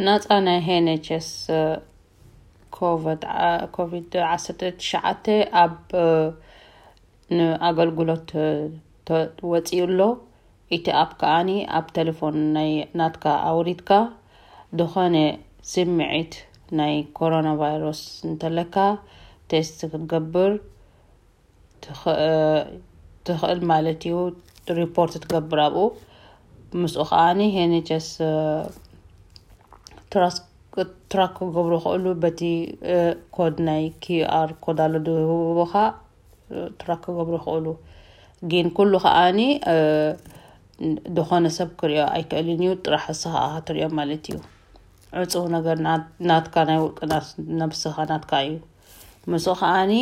ናጻ ናይ ኤን ኤች ኤስ ኮቪድ ዓሰርተ ትሽዓተ ኣብ ንኣገልግሎት ወፂኡ ኣሎ። እቲ ኣፕ ከዓኒ ኣብ ቴሌፎን ናይ ናትካ ኣውሪድካ ዝኾነ ስምዒት ናይ ኮሮና ቫይረስ እንተለካ ቴስት ክትገብር ትኽእል ማለት እዩ። ሪፖርት ትገብር ኣብኡ። ምስኡ ከዓኒ ኤን ኤች ኤስ ትራክ ክገብሩ ይኽእሉ። በቲ ኮድ ናይ ኪዩ ኣር ኮድ ኣሎ ድህቡኻ ትራክ ክገብሩ ይኽእሉ። ግን ኩሉ ከዓኒ ዝኾነ ሰብ ክሪኦ ኣይክእልን እዩ። ጥራሕ ንስኻ ኢኻ ትሪኦ ማለት እዩ። ዕፁው ነገር ናትካ ናይ ውልቂ ነብስኻ ናትካ እዩ። ምስኡ ከዓኒ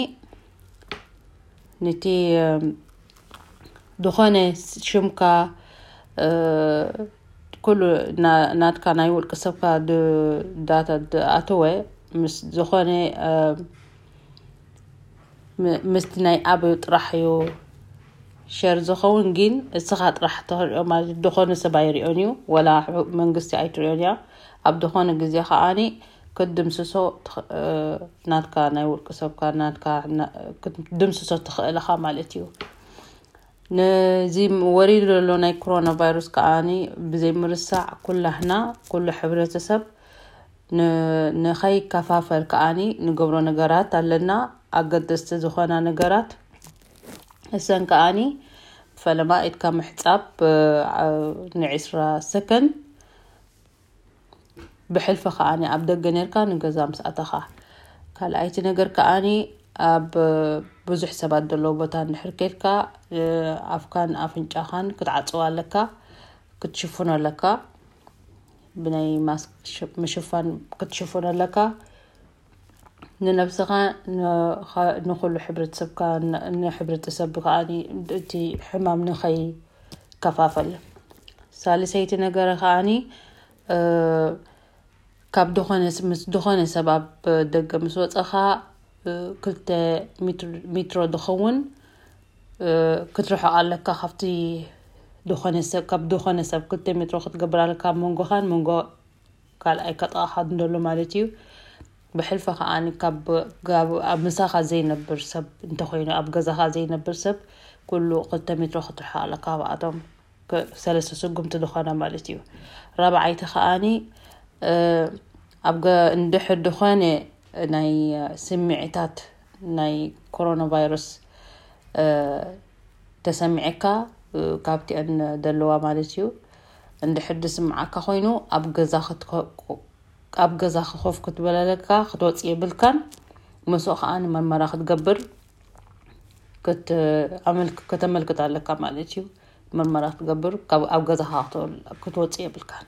ነቲ ዝኾነ ሽምካ ኩሉ ናትካ ናይ ውልቂ ሰብካ ዳታ ኣተወ ምስ ዝኾነ ምስቲ ናይ ኣበዩ ጥራሕ እዩ ሸር ዝኸውን። ግን እስኻ ጥራሕ ትሪኦ ማለት ዝኾነ ሰብ ኣይሪኦን እዩ፣ ወላ መንግስቲ ኣይትሪኦን እያ። ኣብ ዝኾነ ግዜ ከዓኒ ክትድምስሶ ናትካ ናይ ውልቂ ሰብካ ናትካ ክትድምስሶ ትኽእል ኢኻ ማለት እዩ። ነዚ ወሪዱ ዘሎ ናይ ኮሮና ቫይረስ ከዓኒ ብዘይ ምርሳዕ ኩላህና ኩሉ ሕብረተሰብ ንኸይከፋፈል ከዓኒ ንገብሮ ነገራት ኣለና። ኣገደስቲ ዝኾና ነገራት እሰን ከዓኒ ፈለማ ኢድካ ምሕጻብ ንዒስራ ሰከንድ ብሕልፊ ከዓኒ ኣብ ደገ ነርካ ንገዛ ምስ ኣተኻ። ካልኣይቲ ነገር ከዓኒ ኣብ ብዙሕ ሰባት ዘለዎ ቦታ እንድሕር ኬድካ ኣፍካን ኣፍንጫኻን ክትዓጽዋ ኣለካ፣ ክትሽፍኖ ኣለካ። ብናይ ማስክ ምሽፋን ክትሽፍኖ ኣለካ። ንነብስኻ ንኹሉ ሕብረተሰብካ ንሕብረተሰብ ከዓኒ እቲ ሕማም ንኸይ ከፋፈል። ሳልሰይቲ ነገር ከዓኒ ካብ ዝኾነ ምስ ዝኾነ ሰብ ኣብ ደገ ምስ ወፀኻ ክልተ ሜትሮ ዝኸውን ክትርሕቕ ኣለካ። ካብቲ ዝኾነ ሰብ ካብ ዝኾነ ሰብ ክልተ ሜትሮ ክትገብር ኣለካ። ኣብ መንጎኻን መንጎ ካልኣይ ከጥቓኻ እንደሎ ማለት እዩ። ብሕልፊ ከዓኒ ካብ ኣብ ምሳኻ ዘይነብር ሰብ እንተኾይኑ ኣብ ገዛኻ ዘይነብር ሰብ ኩሉ ክልተ ሜትሮ ክትርሕቕ ኣለካ ካብኣቶም ሰለስተ ስጉምቲ ዝኾነ ማለት እዩ። ራብዓይቲ ከዓኒ ኣብ እንድሕር ዝኾነ ናይ ስምዒታት ናይ ኮሮና ቫይረስ ተሰሚዐካ ካብቲአን ደለዋ ማለት እዩ። እንድሕር ዝስምዓካ ኮይኑ ኣብ ገዛ ኣብ ገዛ ኮፍ ክትበለለካ ክትወፅእ የብልካን። ምስኡ ከዓ ንመርመራ ክትገብር ከተመልክት ኣለካ ማለት እዩ። መርመራ ክትገብር ኣብ ገዛኻ ክትወፅእ የብልካን።